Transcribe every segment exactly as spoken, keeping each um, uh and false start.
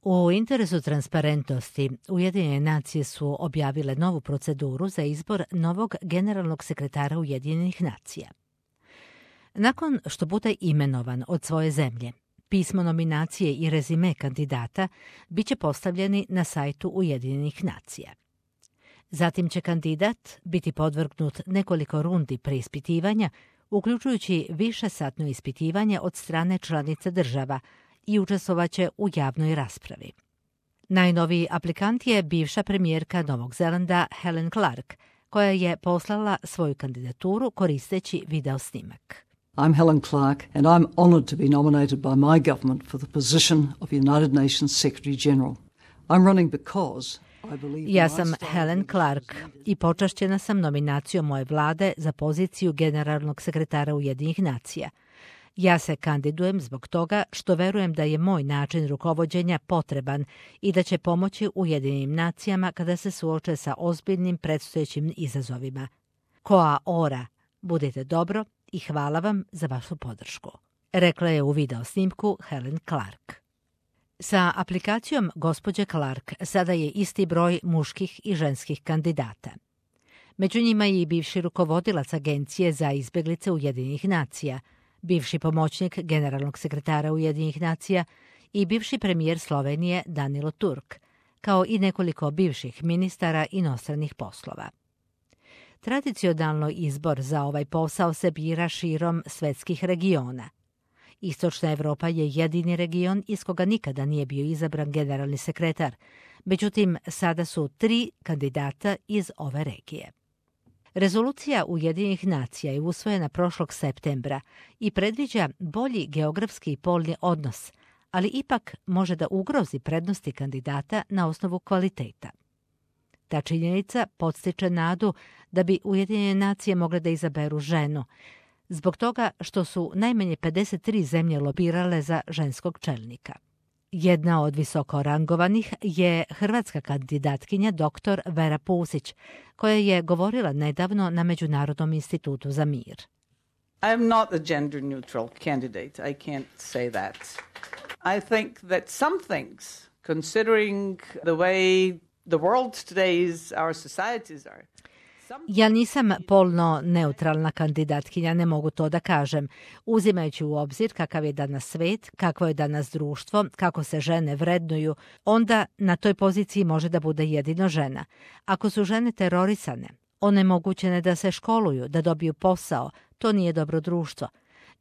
U interesu transparentnosti, Ujedinjene nacije su objavile novu proceduru za izbor novog generalnog sekretara Ujedinjenih nacija. Nakon što bude imenovan od svoje zemlje, pismo nominacije i rezime kandidata bit će postavljeni na sajtu Ujedinjenih nacija. Zatim će kandidat biti podvrgnut nekoliko rundi preispitivanja, uključujući višesatno ispitivanje od strane članica država, i učestvovaće u javnoj raspravi. Najnoviji aplikant je bivša premijerka Novog Zelanda Helen Clark, koja je poslala svoju kandidaturu koristeći video snimak. I'm Helen Clark and I'm honored to be nominated by my government for the position of United Nations Secretary General. I'm running because I believe Ja sam Helen Clark i počašćena sam nominacijom moje vlade za poziciju generalnog sekretara Ujedinjenih nacija. Ja se kandidujem zbog toga što verujem da je moj način rukovođenja potreban i da će pomoći Ujedinjenim nacijama kada se suoče sa ozbiljnim predstojećim izazovima. Koa ora, budite dobro i hvala vam za vašu podršku, rekla je u video snimku Helen Clark. Sa aplikacijom gospođe Clark sada je isti broj muških i ženskih kandidata. Među njima je i bivši rukovodilac Agencije za izbjeglice Ujedinjenih nacija, bivši pomoćnik generalnog sekretara Ujedinjenih nacija i bivši premijer Slovenije Danilo Turk, kao i nekoliko bivših ministara inostranih poslova. Tradicionalno izbor za ovaj posao se bira širom svetskih regiona. Istočna Evropa je jedini region iz koga nikada nije bio izabran generalni sekretar, međutim sada su tri kandidata iz ove regije. Rezolucija Ujedinjenih nacija je usvojena prošlog septembra i predviđa bolji geografski i polni odnos, ali ipak može da ugrozi prednosti kandidata na osnovu kvaliteta. Ta činjenica podstiče nadu da bi Ujedinjene nacije mogle da izaberu ženu, zbog toga što su najmanje pedeset tri zemlje lobirale za ženskog čelnika. Jedna od visoko rangovanih je hrvatska kandidatkinja doktor Vera Pusić, koja je govorila nedavno na Međunarodnom institutu za mir. I am not a gender neutral candidate. I can't say that. I think that some things, considering the way the world today is, our societies are, Ja nisam polno neutralna kandidatkinja, ne mogu to da kažem. Uzimajući u obzir kakav je danas svet, kakvo je danas društvo, kako se žene vrednuju, onda na toj poziciji može da bude jedino žena. Ako su žene terorisane, onemogućene da se školuju, da dobiju posao, to nije dobro društvo.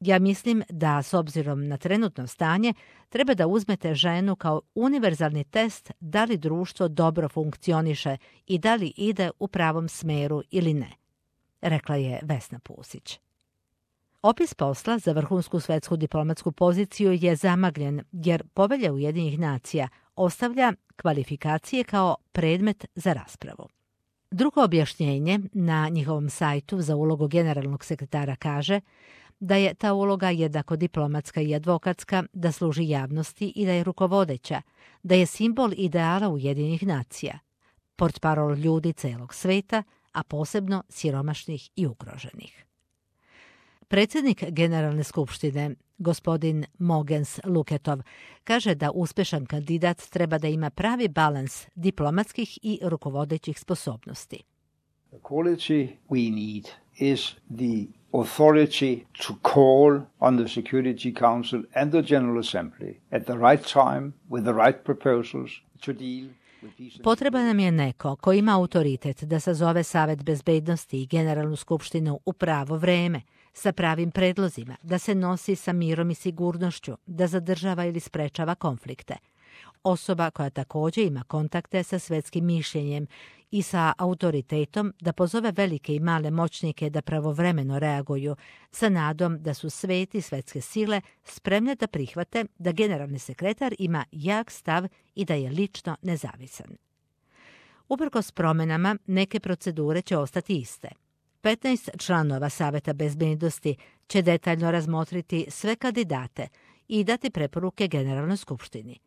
Ja mislim da, s obzirom na trenutno stanje, treba da uzmete ženu kao univerzalni test da li društvo dobro funkcioniše i da li ide u pravom smeru ili ne, rekla je Vesna Pusić. Opis posla za vrhunsku svetsku diplomatsku poziciju je zamagljen jer Povelja Ujedinjenih nacija ostavlja kvalifikacije kao predmet za raspravu. Drugo objašnjenje na njihovom sajtu za ulogu generalnog sekretara kaže da je ta uloga jednako diplomatska i advokatska, da služi javnosti i da je rukovodeća, da je simbol ideala Ujedinjenih nacija, portparol ljudi celog sveta, a posebno siromašnih i ugroženih. Predsjednik Generalne skupštine, gospodin Mogens Luketov, kaže da uspešan kandidat treba da ima pravi balans diplomatskih i rukovodećih sposobnosti. The quality we need is the authority to call on the Security Council and the General Assembly at the right time with the right proposals to deal with these. Potreban nam je neko ko ima autoritet da sazove Savet bezbednosti i Generalnu skupštinu u pravo vreme, sa pravim predlozima, da se nosi sa mirom i sigurnošću, da zadržava ili sprečava konflikte. Osoba koja također ima kontakte sa svetskim mišljenjem i sa autoritetom da pozove velike i male moćnike da pravovremeno reaguju, sa nadom da su svet i svetske sile spremne da prihvate da generalni sekretar ima jak stav i da je lično nezavisan. Uprkos promenama, neke procedure će ostati iste. petnaest članova Saveta bezbednosti će detaljno razmotriti sve kandidate i dati preporuke Generalnoj skupštini.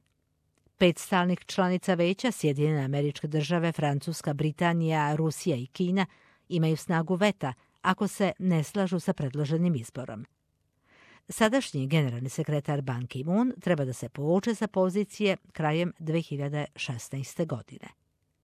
Pet stalnih članica veća, Sjedinjene Američke Države, Francuska, Britanija, Rusija i Kina, imaju snagu veta ako se ne slažu sa predloženim izborom. Sadašnji generalni sekretar Ban Ki-moon treba da se povuče sa pozicije krajem dve hiljade šesnaeste godine.